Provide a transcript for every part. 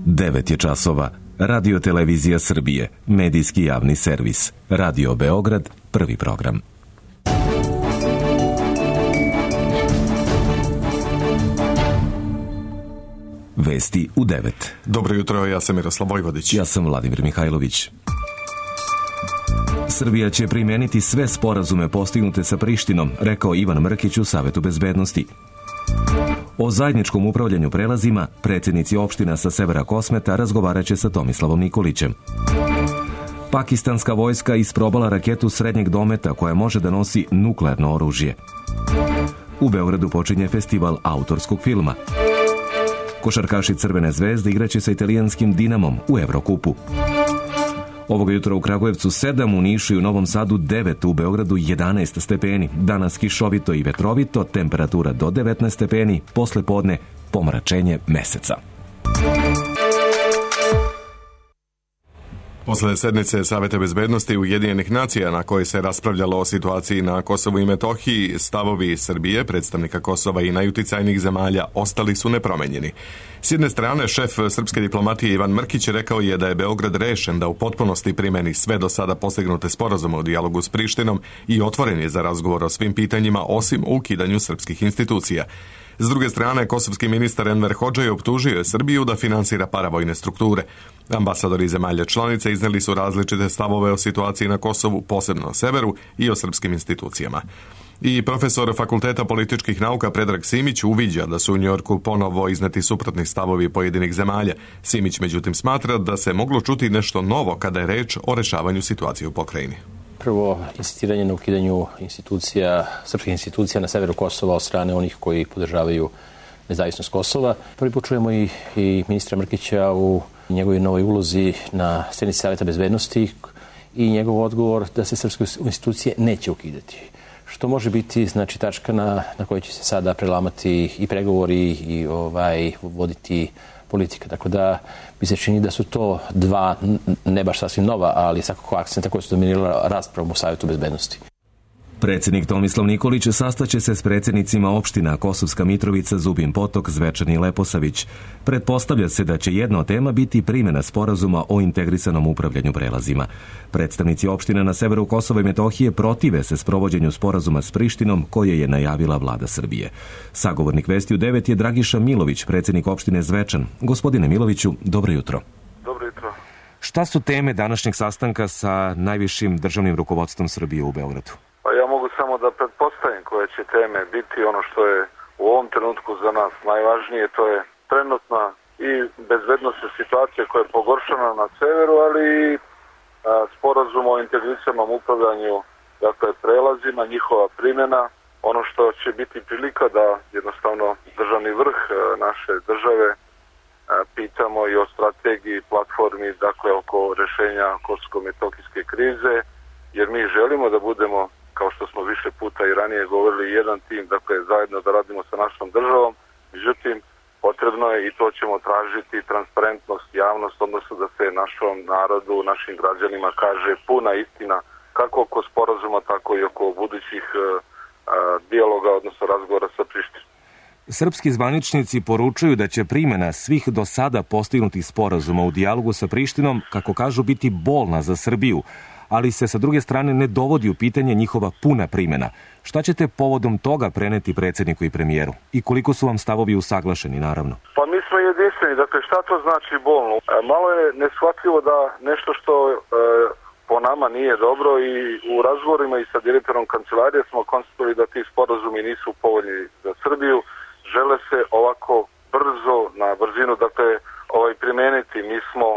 9 je časova. Radio Televizija Srbije, medijski javni servis. Radio Beograd, prvi program. Vesti u 9. Dobro jutro, ja sam Miroslav Vojvodić. Ja sam Vladimir Mihajlović. Srbija će primeniti sve sporazume postignute sa Prištinom, rekao Ivan Mrkić u Savetu bezbednosti. O zajedničkom upravljanju prelazima predsjednici opština sa severa Kosmeta razgovaraće sa Tomislavom Nikolićem. Pakistanska vojska isprobala raketu srednjeg dometa koja može da nosi nuklearno oružje. U Beogradu počinje festival autorskog filma. Košarkaši Crvene zvezde igraće sa italijanskim Dinamom u Evrokupu. Ovoga jutra u Kragujevcu 7, u Nišu i u Novom Sadu 9, u Beogradu 11 stepeni. Danas kišovito i vetrovito, temperatura do 19 stepeni, posle podne pomračenje meseca. Posle sednice Saveta bezbednosti Ujedinjenih nacija na kojoj se raspravljalo o situaciji na Kosovu i Metohiji, stavovi Srbije, predstavnika Kosova i najuticajnijih zemalja ostali su nepromenjeni. S jedne strane, šef srpske diplomatije Ivan Mrkić rekao je da je Beograd rešen da u potpunosti primeni sve do sada postignute sporazume u dijalogu s Prištinom i otvoren je za razgovor o svim pitanjima osim o ukidanju srpskih institucija. S druge strane, kosovski ministar Enver Hodžaj optužio je Srbiju da finansira paravojne strukture. Ambasadori zemalja članice izneli su različite stavove o situaciji na Kosovu, posebno na severu, i o srpskim institucijama. I profesor Fakulteta političkih nauka Predrag Simić uviđa da su u Njujorku ponovo izneti suprotni stavovi pojedinih zemalja. Simić međutim smatra da se moglo čuti nešto novo kada je reč o rešavanju situacije u pokrajini. Prvo, insistiranje na ukidanju institucija, srpskih institucija na severu Kosova od strane onih koji podržavaju nezavisnost Kosova. Prvi put čujemo i ministra Mrkića u njegovoj novoj ulozi na sednici Saveta bezbednosti i njegov odgovor da se srpske institucije neće ukidati. Što može biti znači tačka na kojoj će se sada prelamati i pregovori i voditi politika. Tako da mi se čini da su to dva, ne baš sasvim nova, ali svakako akcenta koji su dominirala raspravom u Savetu bezbednosti. Predsjednik Tomislav Nikolić sastaće se s predsjednicima opština Kosovska Mitrovica, Zubin Potok, Zvečan i Leposavić. Pretpostavlja se da će jedna od tema biti primjena sporazuma o integrisanom upravljanju prelazima. Predstavnici opština na severu Kosova i Metohije protive se sprovođenju sporazuma s Prištinom koje je najavila vlada Srbije. Sagovornik Vesti u 9 je Dragiša Milović, predsjednik opštine Zvečan. Gospodine Miloviću, dobro jutro. Dobro jutro. Šta su teme današnjeg sastanka sa najvišim državnim rukovodstvom Srbije u Beogradu? Pa ja mogu samo da pretpostavim koje će teme biti. Ono što je u ovom trenutku za nas najvažnije, to je trenutna i bezbednosna situacija koja je pogoršana na severu, ali i sporazum o integrisanom upravljanju, dakle prelazima, njihova primjena. Ono što će biti prilika da jednostavno državni vrh naše države pitamo i o strategiji, platformi, dakle oko rešenja kosovo-metohijske krize, jer mi želimo da budemo, kao što smo više puta i ranije govorili, jedan tim, dakle zajedno da radimo sa našom državom. Međutim, potrebno je, i to ćemo tražiti, transparentnost, javnost, odnosno da se našom narodu, našim građanima kaže puna istina, kako oko sporazuma, tako i oko budućih dijaloga, odnosno razgovora sa Prištinom. Srpski zvaničnici poručuju da će primjena svih do sada postignutih sporazuma u dijalogu sa Prištinom, kako kažu, biti bolna za Srbiju, ali se sa druge strane ne dovodi u pitanje njihova puna primjena. Šta ćete povodom toga preneti predsjedniku i premijeru? I koliko su vam stavovi usaglašeni, naravno? Pa mi smo jedinstveni. Dakle, šta to znači bolno? Malo je neshvatljivo da nešto što po nama nije dobro, i u razgovorima i sa direktorom kancelarije smo konstatovali da ti sporazumi nisu povoljni za Srbiju. Žele se ovako brzo, na brzinu, dakle, primeniti. Mi smo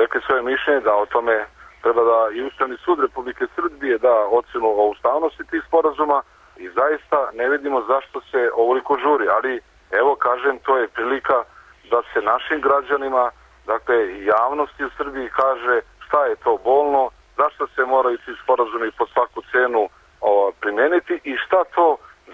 rekli svoje mišljenje da o tome treba da i Ustavni sud Republike Srbije da ocenu o ustavnosti tih sporazuma, i zaista ne vidimo zašto se ovoliko žuri. Ali, evo kažem, to je prilika da se našim građanima, dakle javnosti u Srbiji, kaže šta je to bolno, zašto se moraju ti sporazumi po svaku cenu primeniti i šta to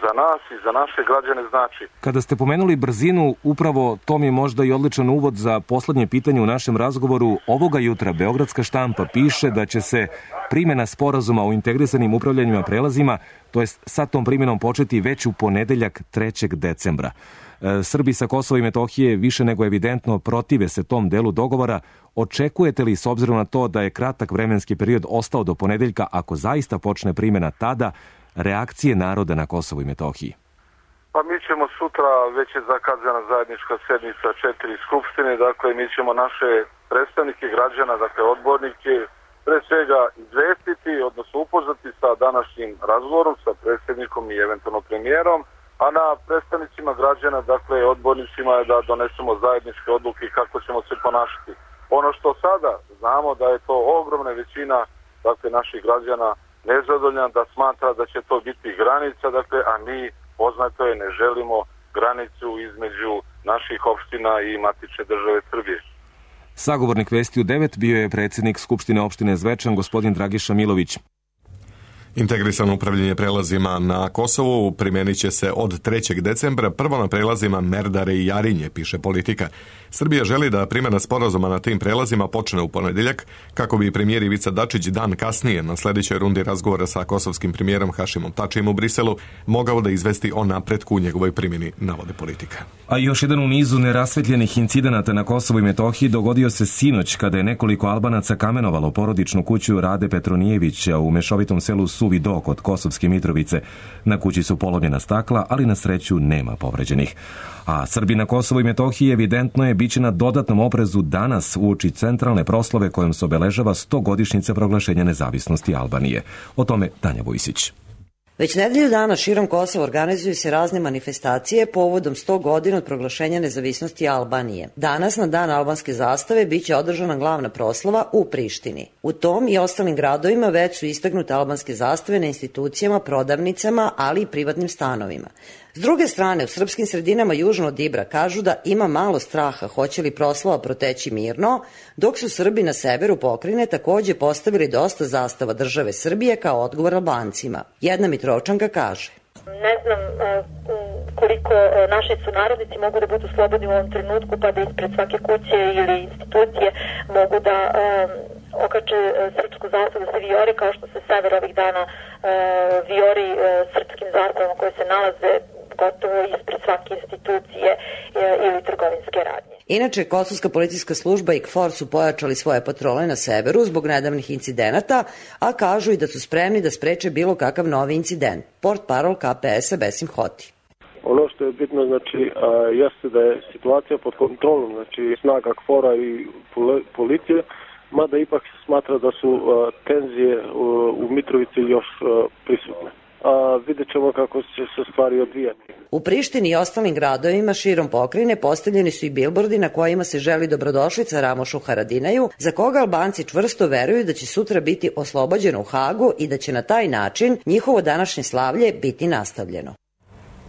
za nas i za naše građane znači. Kada ste pomenuli brzinu, upravo to mi je možda i odličan uvod za poslednje pitanje u našem razgovoru. Ovoga jutra Beogradska štampa piše da će se primjena sporazuma o integrisanim upravljanjima prelazima, to jest sa tom primjenom početi već u ponedeljak 3. decembra. Srbi sa Kosova i Metohije više nego evidentno protive se tom delu dogovora. Očekujete li, s obzirom na to da je kratak vremenski period ostao do ponedeljka, ako zaista počne primjena tada, reakcije naroda na Kosovu i Metohiji? Pa mi ćemo sutra, već je zakazana zajednička sednica 4 skupštine, dakle mi ćemo naše predstavnike građana, dakle odbornike, pre svega izvestiti, odnosno upoznati sa današnjim razgovorom sa predsjednikom i eventualno premijerom, a na predstavnicima građana, dakle odbornicima je da donesemo zajedničke odluke kako ćemo se ponašati. Ono što sada znamo da je to ogromna većina, dakle naših građana nezadovoljna, da smatra da će to biti granica, dakle, a mi poznato je ne želimo granicu između naših opština i matične države Srbije. Sagovornik Vesti u 9 bio je predsjednik Skupštine opštine Zvečan, gospodin Dragiša Milović. Integrisano upravljanje prelazima na Kosovu primjenit će se od 3. decembra, prvo na prelazima Merdare i Jarinje, piše Politika. Srbija želi da primjena sporazuma na tim prelazima počne u ponedjeljak, kako bi premijer Ivica Dačić dan kasnije, na sljedećoj rundi razgovora sa kosovskim premijerom Hašimom Tačijem u Briselu, mogao da izvesti o napretku u njegovoj primjeni, navode Politika. A još jedan u nizu nerasvetljenih incidenata na Kosovu i Metohiji dogodio se sinoć kada je nekoliko Albanaca kamenovalo porodičnu kuću Rade Petronijevića u mešovitom selu Suvi Do kod Kosovske Mitrovice. Na kući su polomljena stakla, ali na sreću nema povređenih. A Srbi na Kosovu i Metohiji evidentno je biće na dodatnom oprezu danas uoči centralne proslave kojom se obeležava 100-godišnjica proglašenja nezavisnosti Albanije. O tome Tanja Vujsić. Već nedelju dana širom Kosova organizuju se razne manifestacije povodom 100 godina od proglašenja nezavisnosti Albanije. Danas na dan albanske zastave biće održana glavna proslava u Prištini. U tom i ostalim gradovima već su istaknute albanske zastave na institucijama, prodavnicama, ali i privatnim stanovima. S druge strane, u srpskim sredinama južno od Ibra kažu da ima malo straha hoće li proslava proteći mirno, dok su Srbi na severu pokrajine takođe postavili dosta zastava države Srbije kao odgovor Albancima. Jedna Mitrovčanka kaže: Ne znam koliko naši sunarodnici mogu da budu slobodni u ovom trenutku, pa da ispred svake kuće ili institucije mogu da okače srpsku zastavu, da se vijori kao što se sever ovih dana vijori srpskim zastavama koje se nalaze gotovo ispred svake institucije ili trgovinske radnje. Inače, Kosovska policijska služba i KFOR su pojačali svoje patrole na severu zbog nedavnih incidenata, a kažu i da su spremni da spreče bilo kakav novi incident. Portparol KPS-a Besim Hoti. Ono što je bitno, znači, jeste da je situacija pod kontrolom, znači snaga KFOR-a i policije, mada ipak se smatra da su tenzije u Mitrovici još prisutne. Vidjet ćemo kako će se stvari odvijati. U Prištini i ostalim gradovima širom pokrajine postavljeni su i bilbordi na kojima se želi dobrodošlica Ramošu Haradinaju, za koga Albanci čvrsto veruju da će sutra biti oslobođeno u Hagu i da će na taj način njihovo današnje slavlje biti nastavljeno.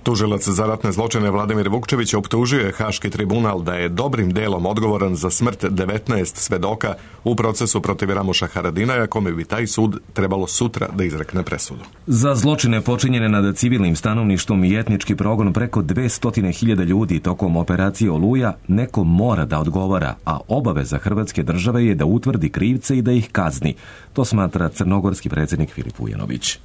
Tužilac za ratne zločine Vladimir Vukčević optužio je Haški tribunal da je dobrim delom odgovoran za smrt 19 svedoka u procesu protiv Ramoša Haradinaja, kome bi taj sud trebalo sutra da izrekne presudu. Za zločine počinjene nad civilnim stanovništvom i etnički progon preko 200.000 ljudi tokom operacije Oluja neko mora da odgovara, a obaveza Hrvatske države je da utvrdi krivce i da ih kazni. To smatra crnogorski predsjednik Filip Vujanović.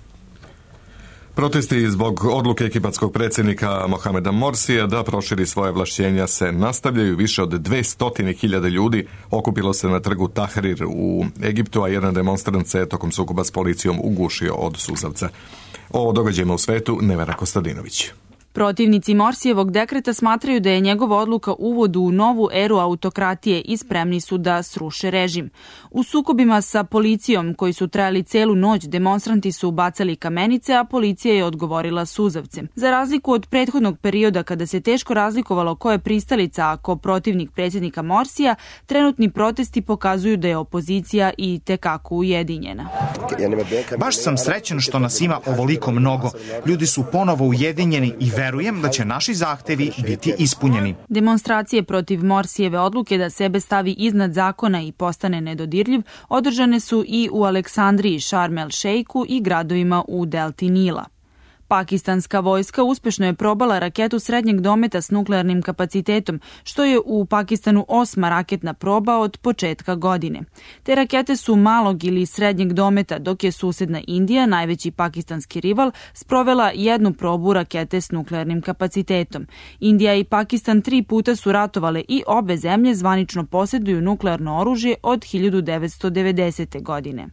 Protesti zbog odluke egipatskog predsjednika Mohameda Morsija da proširi svoje ovlašćenja se nastavljaju. Više od 200.000 ljudi okupilo se na trgu Tahrir u Egiptu, a jedan demonstrant se tokom sukoba s policijom ugušio od suzavca. O događajima u svetu Nevera Kostadinović. Protivnici Morsijevog dekreta smatraju da je njegova odluka uvod u novu eru autokratije i spremni su da sruše režim. U sukobima sa policijom, koji su trajali celu noć, demonstranti su bacali kamenice, a policija je odgovorila suzavcem. Za razliku od prethodnog perioda kada se teško razlikovalo ko je pristalica, a ko protivnik predsjednika Morsija, trenutni protesti pokazuju da je opozicija i tekako ujedinjena. Baš sam srećan što nas ima ovoliko mnogo. Ljudi su ponovo ujedinjeni i verujem da će naši zahtevi biti ispunjeni. Demonstracije protiv Morsijeve odluke da sebe stavi iznad zakona i postane nedodirljiv održane su i u Aleksandriji, Šarm el Šejku i gradovima u delti Nila. Pakistanska vojska uspešno je probala raketu srednjeg dometa s nuklearnim kapacitetom, što je u Pakistanu 8. raketna proba od početka godine. Te rakete su malog ili srednjeg dometa, dok je susedna Indija, najveći pakistanski rival, sprovela jednu probu rakete s nuklearnim kapacitetom. Indija i Pakistan 3 puta su ratovale i obe zemlje zvanično posjeduju nuklearno oružje od 1990. godine.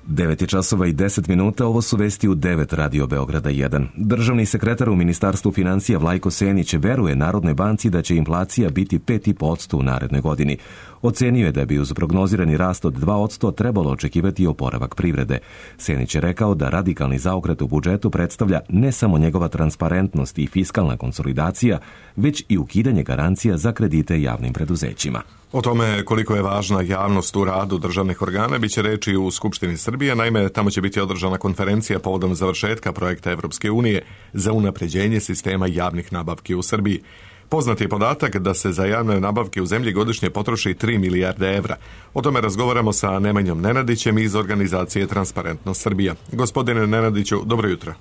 9 časova i 10 minuta, ovo su vesti u 9 Radio Beograda 1. Državni sekretar u Ministarstvu financija Vlajko Senić veruje Narodnoj banci da će inflacija biti 5,5% u narednoj godini. Ocenio je da bi uz prognozirani rast od 2% trebalo očekivati oporavak privrede. Senić je rekao da radikalni zaokret u budžetu predstavlja ne samo njegova transparentnost i fiskalna konsolidacija, već i ukidanje garancija za kredite javnim preduzećima. O tome koliko je važna javnost u radu državnih organa biće reči u Skupštini Srbije. Naime, tamo će biti održana konferencija povodom završetka projekta Evropske unije za unapređenje sistema javnih nabavki u Srbiji. Poznat je podatak da se za javne nabavke u zemlji godišnje potroši 3 milijarde evra. O tome razgovaramo sa Nemanjom Nenadićem iz organizacije Transparentnost Srbija. Gospodine Nenadiću, dobro jutro.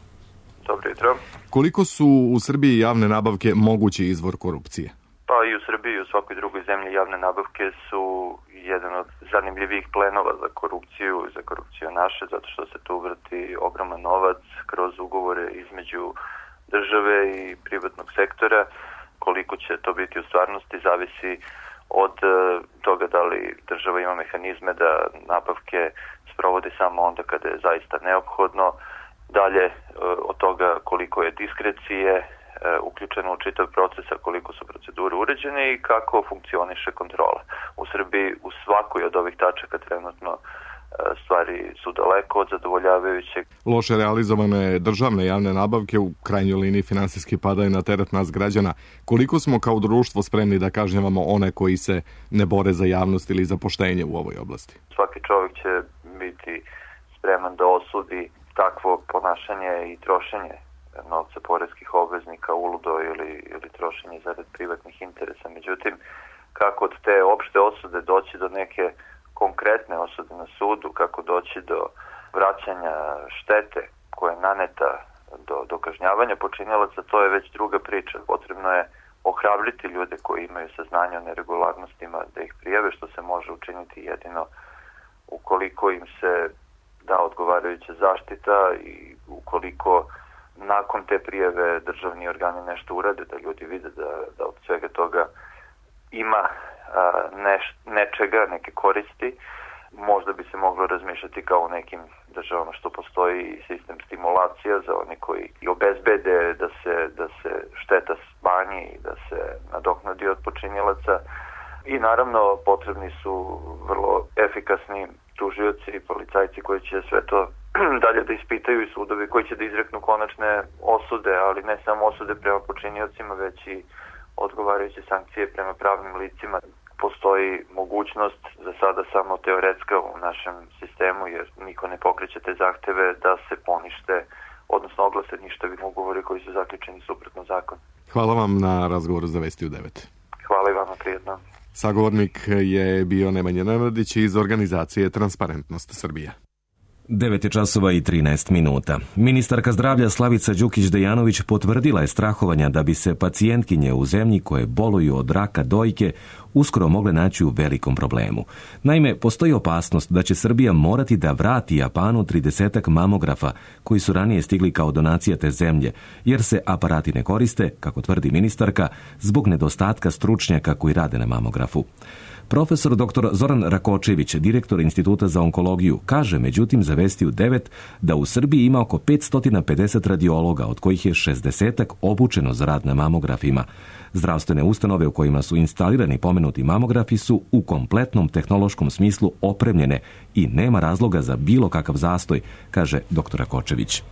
Dobro jutro. Koliko su u Srbiji javne nabavke mogući izvor korupcije? Pa i u Srbiji i u svakoj drugoj zemlji javne nabavke su jedan od zanimljivih plenova za korupciju naše, zato što se tu vrti ogroman novac kroz ugovore između države i privatnog sektora. Koliko će to biti u stvarnosti zavisi od toga da li država ima mehanizme da nabavke sprovodi samo onda kada je zaista neophodno, dalje od toga koliko je diskrecije uključeno u čitav proces, koliko su procedure uređene i kako funkcioniše kontrola. U Srbiji u svakoj od ovih tačaka trenutno stvari su daleko od zadovoljavajućeg. Loše realizovane državne javne nabavke u krajnjoj liniji finansijski padaju na teret nas građana. Koliko smo kao društvo spremni da kažnjavamo one koji se ne bore za javnost ili za poštenje u ovoj oblasti? Svaki čovjek će biti spreman da osudi takvo ponašanje i trošenje novca poreskih obveznika uludo ili trošenje zarad privatnih interesa. Međutim, kako od te opšte osude doći do neke konkretne osude na sudu, kako doći do vraćanja štete koja je naneta do kažnjavanja počinilaca, to je već druga priča. Potrebno je ohrabriti ljude koji imaju saznanje o neregularnostima da ih prijave, što se može učiniti jedino ukoliko im se da odgovarajuća zaštita i ukoliko nakon te prijave državni organi nešto urade, da ljudi vide da od svega toga ima nečega, neke koristi. Možda bi se moglo razmišljati kao u nekim državama što postoji sistem stimulacija za oni koji i obezbede da se šteta smanji i da se nadoknadi od počinilaca. I naravno potrebni su vrlo efikasni tužioci i policajci koji će sve to dalje da ispitaju i sudovi koji će da izreknu konačne osude, ali ne samo osude prema počiniocima, već i odgovarajuće sankcije prema pravnim licima. Postoji mogućnost, za sada samo teoretska u našem sistemu, jer niko ne pokreće te zahteve da se ponište, odnosno oglase ništavi ugovori koji su zaključeni suprotno zakonu. Hvala vam na razgovoru za Vesti u 9. Hvala i vama, prijetno. Sagovornik je bio Nemanja Nenadić iz organizacije Transparentnost Srbija. 9 časova i 13 minuta. Ministarka zdravlja Slavica Đukić-Dejanović potvrdila je strahovanja da bi se pacijentkinje u zemlji koje boluju od raka dojke uskoro mogle naći u velikom problemu. Naime, postoji opasnost da će Srbija morati da vrati Japanu 30 mamografa koji su ranije stigli kao donacija te zemlje, jer se aparati ne koriste, kako tvrdi ministarka, zbog nedostatka stručnjaka koji rade na mamografu. Profesor dr. Zoran Rakočević, direktor Instituta za onkologiju, kaže međutim za Vesti u 9 da u Srbiji ima oko 550 radiologa, od kojih je 60 obučeno za rad na mamografima. Zdravstvene ustanove u kojima su instalirani pomenuti mamografi su u kompletnom tehnološkom smislu opremljene i nema razloga za bilo kakav zastoj, kaže dr. Rakočević.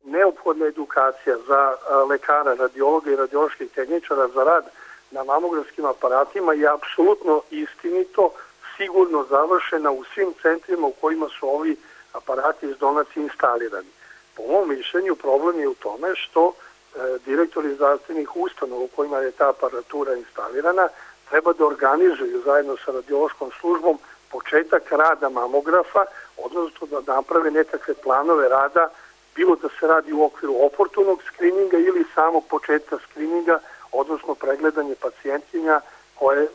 Neophodna edukacija za lekara, radiologa i radioloških tehničara za rad na mamografskim aparatima je apsolutno istinito, sigurno završena u svim centrima u kojima su ovi aparati iz donacije instalirani. Po mom mišljenju problem je u tome što direktori zdravstvenih ustanova u kojima je ta aparatura instalirana treba da organizuju zajedno sa radiološkom službom početak rada mamografa odnosno da naprave nekakve planove rada, bilo da se radi u okviru oportunog skrininga ili samog početka skrininga, odnosno pregledanje pacijentkinja koje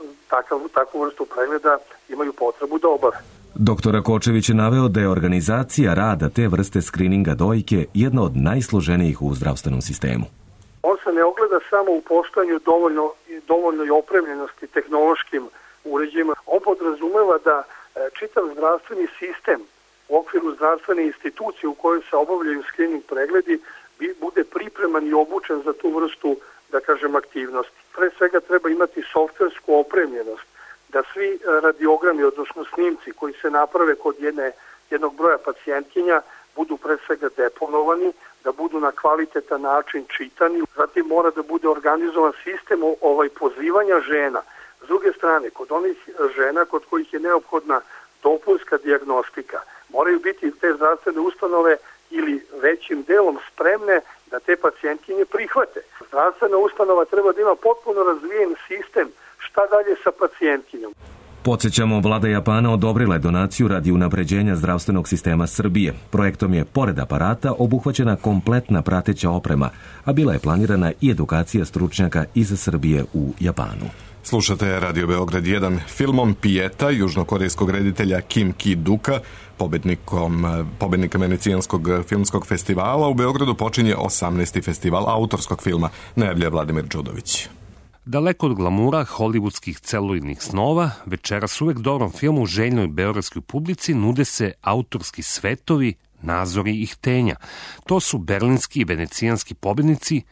takvu vrstu pregleda imaju potrebu da obave. Dr. Kočević je naveo da je organizacija rada te vrste skrininga dojke jedna od najsloženijih u zdravstvenom sistemu. On se ne ogleda samo u postojanju dovoljnoj opremljenosti tehnološkim uređajima. On podrazumeva da čitav zdravstveni sistem u okviru zdravstvene institucije u kojoj se obavljaju skrining pregledi bude pripreman i obučen za tu vrstu, da kažem, aktivnosti. Pre svega treba imati softversku opremljenost, da svi radiogrami, odnosno snimci koji se naprave kod jednog broja pacijentkinja budu pre svega deponovani, da budu na kvalitetan način čitani. Zatim mora da bude organizovan sistem pozivanja žena. S druge strane, kod onih žena kod kojih je neophodna dopunska dijagnostika, moraju biti te zdravstvene ustanove ili većim delom spremne da te pacijentkinje prihvate. Zdravstvena ustanova treba da ima potpuno razvijen sistem šta dalje sa pacijentkinjom. Podsjećamo, vlada Japana odobrila je donaciju radi unapređenja zdravstvenog sistema Srbije. Projektom je, pored aparata, obuhvaćena kompletna prateća oprema, a bila je planirana i edukacija stručnjaka iz Srbije u Japanu. Slušate Radio Beograd 1. Filmom Pijeta južnokorejskog reditelja Kim Ki-duka, pobednika Venecijanskog filmskog festivala, u Beogradu počinje 18. festival autorskog filma, najavljuje Vladimir Đudović. Daleko od glamura hollywoodskih celuloidnih snova, večeras uvek dobrom filmu željnoj beogradskoj publici nude se autorski svetovi, nazori i htenja. To su berlinski i venecijanski pobednici,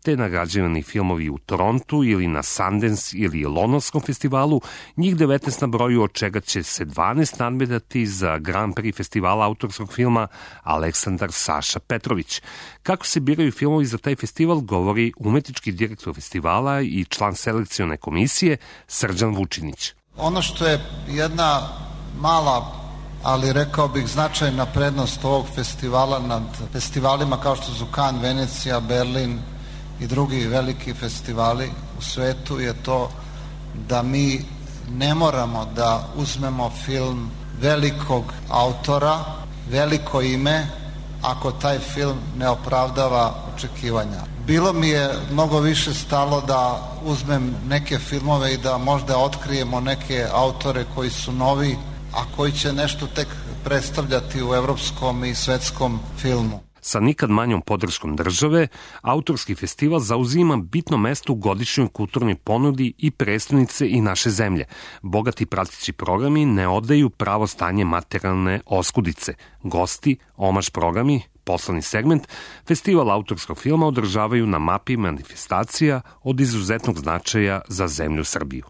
te nagrađivani filmovi u Torontu ili na Sundance ili Londonskom festivalu, njih 19 na broju, od čega će se 12 nadmetati za Grand Prix festivala autorskog filma Aleksandar Saša Petrović. Kako se biraju filmovi za taj festival, govori umetnički direktor festivala i član selekcione komisije Srđan Vučinić. Ono što je jedna mala, ali rekao bih značajna prednost ovog festivala nad festivalima kao što su Cannes, Venecija, Berlin i drugi veliki festivali u svetu, je to da mi ne moramo da uzmemo film velikog autora, veliko ime, ako taj film ne opravdava očekivanja. Bilo mi je mnogo više stalo da uzmem neke filmove i da možda otkrijemo neke autore koji su novi, a koji će nešto tek predstavljati u evropskom i svetskom filmu. Sa nikad manjom podrškom države, autorski festival zauzima bitno mesto u godišnjoj kulturnoj ponudi i prestonice i naše zemlje. Bogati prateći programi ne odaju pravo stanje materijalne oskudice. Gosti, omaž programi, poslovni segment, festival autorskog filma održavaju na mapi manifestacija od izuzetnog značaja za zemlju Srbiju.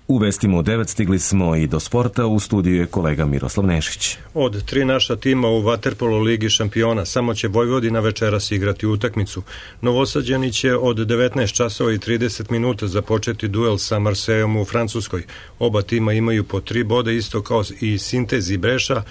U vestima u 9 stigli smo i do sporta, u studiju je kolega Miroslav Nešić. Od 3 naša tima u vaterpolo ligi šampiona samo će Vojvodina večeras igrati utakmicu. Novosađani će od 19 časova i 30 minuta započeti duel sa Marsejom u Francuskoj. Oba tima imaju po 3 boda, isto kao i Sintez i Breša,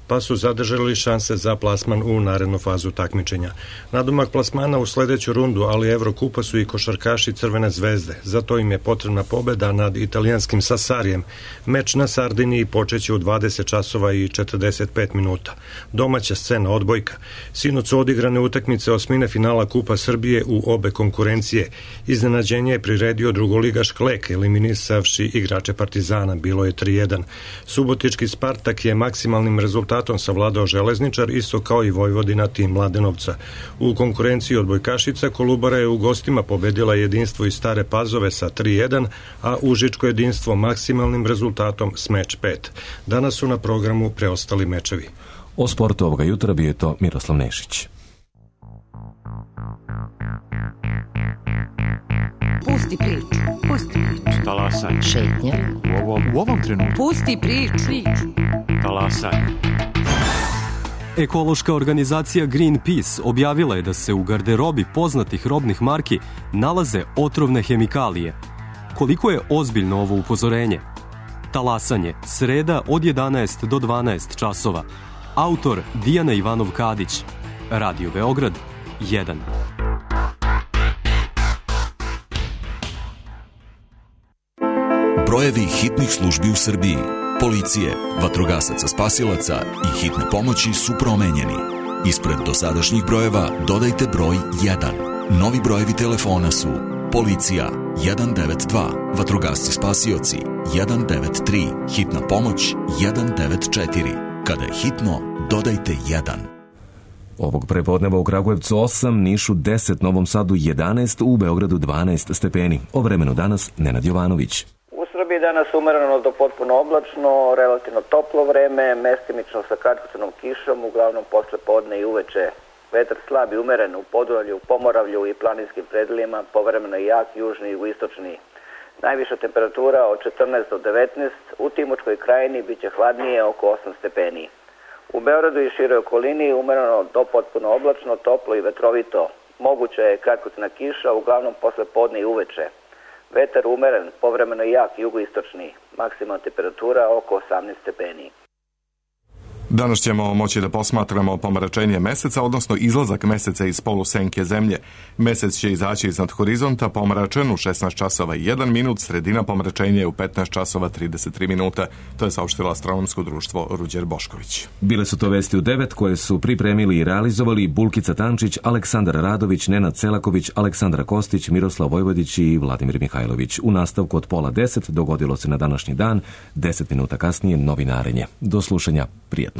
pa su zadržali šanse za plasman u narednu fazu takmičenja. Nadomak plasmana u sledeću rundu, ali Evrokupa su i košarkaši Crvene zvezde. Zato im je potrebna pobeda nad italijanskim Sassarijem. Meč na Sardiniji počeće u 20 časova i 45 minuta. Domaća scena odbojka. Sinoć su odigrane utakmice osmine finala Kupa Srbije u obe konkurencije. Iznenađenje je priredio drugoligaš Klek, eliminisavši igrače Partizana. Bilo je 3-1. Subotički Spartak je maksimalnim rezultatom savladao Železničar, isto kao i Vojvodina tim Mladenovca. U konkurenciji odbojkašica Kolubara je u gostima pobedila Jedinstvo iz Stare Pazove sa 3-1, a Užičko Jedinstvo maksimalnim rezultatom s meč 5. Danas su na programu preostali mečevi. O sportu ovoga jutra bio je to Miroslav Nešić. Pusti priču. Pusti priču. Talasaj. Šetnja. U ovom trenutku. Pusti priču. Talasaj. Ekološka organizacija Greenpeace objavila je da se u garderobi poznatih robnih marki nalaze otrovne hemikalije. Koliko je ozbiljno ovo upozorenje? Talasanje, sreda od 11 do 12 časova. Autor Dijana Ivanov-Kadić. Radio Beograd 1. Brojevi hitnih službi u Srbiji. policije, vatrogasaca spasilaca i hitne pomoći su promenjeni. Ispred dosadašnjih brojeva dodajte broj 1. Novi brojevi telefona su policija 192, vatrogasci spasioci 193, hitna pomoć 194. Kada je hitno, dodajte 1. Ovog prepodneva u Kragujevcu 8, Nišu 10, Novom Sadu 11, u Beogradu 12 stepeni. O vremenu danas Nenad Jovanović. U Srbiji danas umereno do potpuno oblačno, relativno toplo vreme, mestimično sa kratkotrajnom kišom, uglavnom posle podne i uveče. Vetar slab i umeren u Podunavlju, Pomoravlju i planinskim predelima, povremeno jak južni i jugoistočni. Najviša temperatura od 14 do 19, u Timočkoj krajini biće hladnije oko 8 stepeni. U Beogradu i široj okolini umereno do potpuno oblačno, toplo i vetrovito. Moguća je kratkotrajna kiša, uglavnom posle podne i uveče. Vetar umeren, povremeno jak jugoistočni. Maksimalna temperatura oko 18 stepeni. Danas ćemo moći da posmatramo pomračenje meseca, odnosno izlazak meseca iz polusenke zemlje. Mesec će izaći iznad horizonta pomračen u 16 časova i 1 minut, sredina pomračenja je u 15 časova 33 minuta. To je saopštilo astronomsko društvo Ruđer Bošković. Bile su to vesti u 9 koje su pripremili i realizovali Bulkica Tančić, Aleksandar Radović, Nenad Celaković, Aleksandra Kostić, Miroslav Vojvodić i Vladimir Mihajlović. U nastavku od 9:30 dogodilo se na današnji dan, 10 minuta kasnije novinarenje. Do slušanja, prijetno.